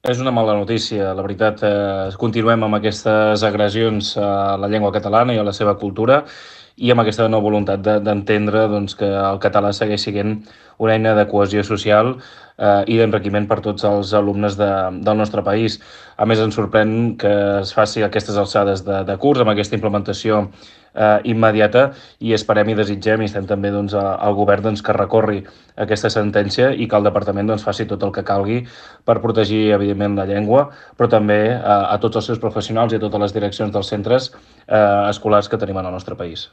És una mala notícia, la veritat. Continuem amb aquestes agressions a la llengua catalana i a la seva cultura i amb aquesta no voluntat d'entendre doncs, que el català segueix sent una eina de cohesió social i d'enriquiment per tots els alumnes del nostre país. A més, ens sorprèn que es faci aquestes alçades de curs amb aquesta implementació immediata i esperem i desitgem i estem també doncs, al govern doncs, que recorri aquesta sentència i que el departament doncs, faci tot el que calgui per protegir, evidentment, la llengua, però també a tots els seus professionals i a totes les direccions dels centres escolars que tenim en el nostre país.